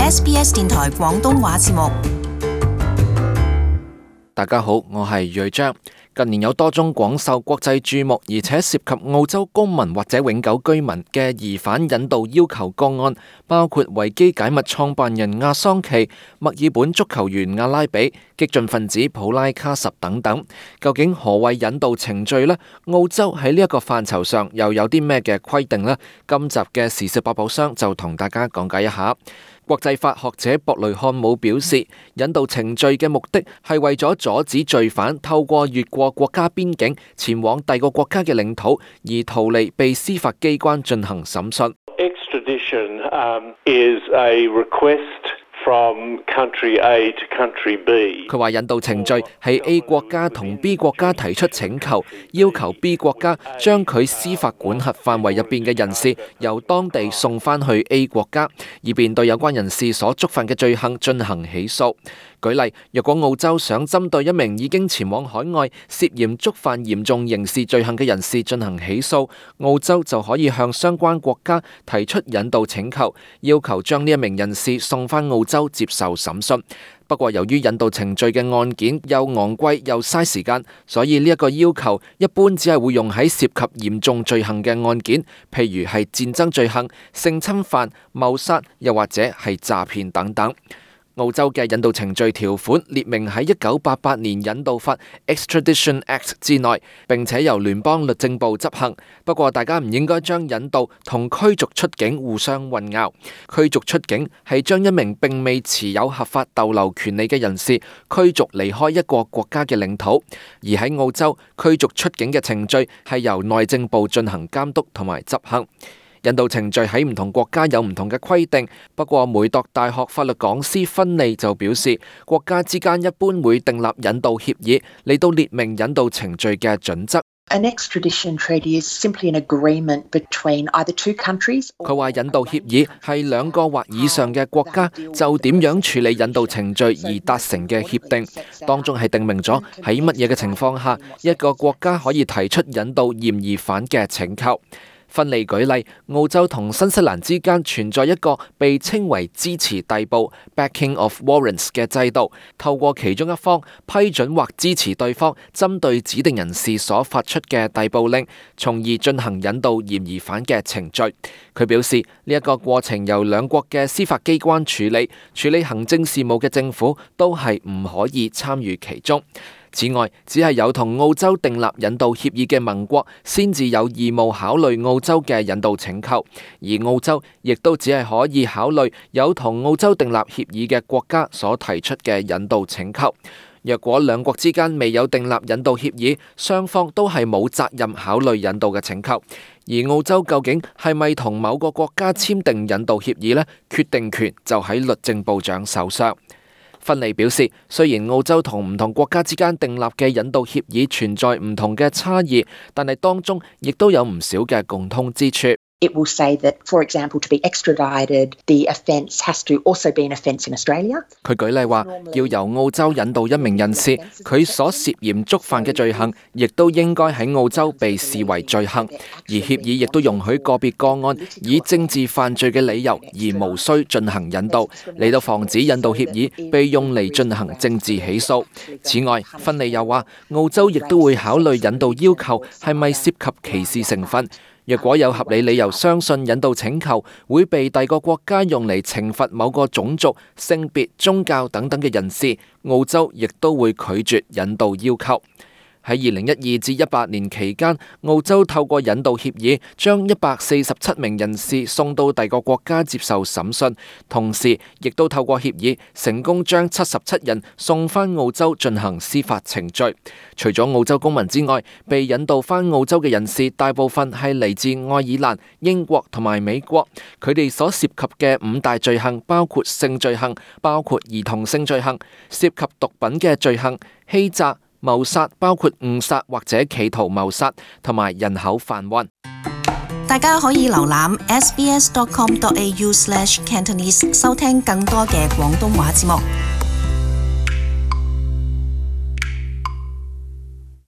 SBS 電台廣東話節目。大家好，我係瑞章。近年有多宗廣受國際注目，而且涉及澳洲公民或者永久居民嘅疑犯引渡要求個案，包括維基解密創辦人亞桑奇、墨爾本足球員阿拉比、激進分子普拉卡什等等。究竟何謂引渡程序呢？澳洲喺呢一個範疇上又有啲咩嘅規定呢？今集嘅時事百寶箱就同大家講解一下。國際法學者博雷漢姆表示，引渡程序嘅目的係為咗阻止罪犯透過越過國家邊境前往第二個國家嘅領土，而逃離被司法機關進行審訊。Extradition is a request from country A to country B。佢話引渡程序係 A 國家同 B 國家提出請求，要求 B 國家將佢司法管轄範圍入邊嘅人士由當地送返去 A 國家，以便對有關人士所觸犯嘅罪行進行起訴。舉例，若果澳洲想針對一名已經前往海外涉嫌觸犯嚴重刑事罪行嘅人士進行起訴，澳洲就可以向相關國家提出引渡請求，要求將呢一名人士送返澳洲接受審訊。不過由於引渡程序嘅案件又昂貴又嘥時間，所以呢一個要求一般只係會用喺涉及嚴重罪行嘅案件，譬如係戰爭罪行、性侵犯、謀殺，又或者係詐騙等等。澳洲嘅引渡程序條款列明喺1988年引渡法 Extradition Act 之內，並且由聯邦律政部執行。不過大家唔應該將引渡同驅逐出境互相混淆。驅逐出境係將一名並未持有合法逗留權利嘅人士驅逐離開一個國家嘅領土，而喺澳洲驅逐出境嘅程序係由內政部進行監督同埋執行。引渡程序喺唔同國家有唔同嘅規定，不過梅鐸大學法律講師芬利就表示，國家之間一般會訂立引渡協議嚟到列明引渡程序嘅準則。An extradition treaty is simply an agreement between either two countries. 佢話引渡協議係兩個或以上嘅國家就點樣處理引渡程序而達成嘅協定，當中係訂明咗喺乜嘢嘅情況下一個國家可以提出引渡嫌疑犯嘅請求。芬利舉例，澳洲同新西蘭之間存在一個被稱為支持逮捕 （backing of warrants） 嘅制度，透過其中一方批准或支持對方針對指定人士所發出嘅逮捕令，從而進行引渡嫌疑犯嘅程序。佢表示，呢一個過程由兩國嘅司法機關處理行政事務嘅政府都係唔可以參與其中。此外，只係有同澳洲訂立引渡協議嘅盟國先至有義務考慮澳洲嘅引渡請求，而澳洲亦都只係可以考慮有同澳洲訂立協議嘅國家所提出嘅引渡請求。若果兩國之間未有訂立引渡協議，雙方都係冇責任考慮引渡嘅請求。而澳洲究竟係咪同某個國家簽訂引渡協議呢？決定權就喺律政部長手上。芬利表示，雖然澳洲同唔同國家之間訂立嘅引渡協議存在唔同嘅差異，但係當中亦都有唔少嘅共通之處。It will say that, for example, to be extradited, the offence has to also be an offence in Australia. 佢舉例話，要由澳洲引渡一名人士，佢所涉嫌觸犯嘅罪行，亦都應該喺澳洲被視為罪行。而協議亦都容許個別個案以政治犯罪嘅理由而無需進行引渡，嚟到防止引渡協議被用嚟進行政治起訴。此外，芬利又話，澳洲亦都會考慮引渡要求係咪涉及歧視成分。若果有合理理由相信引渡請求會被第二個國家用嚟懲罰某個種族、性別、宗教等等嘅人士，澳洲亦都會拒絕引渡要求。喺2012至18年期間，澳洲透過引渡協議將147名人士送到第二個國家接受審訊，同時亦都透過協議成功將77人送返澳洲進行司法程序。除咗澳洲公民之外，被引渡返澳洲嘅人士大部分係嚟自愛爾蘭、英國同埋美國，佢哋所涉及嘅5大罪行包括性罪行、包括兒童性罪行、涉及毒品嘅罪行、欺詐、謀殺，包括誤殺或者企圖謀殺，同埋人口販運。大家可以瀏覽 sbs.com.au/cantonese 收聽更多嘅廣東話節目。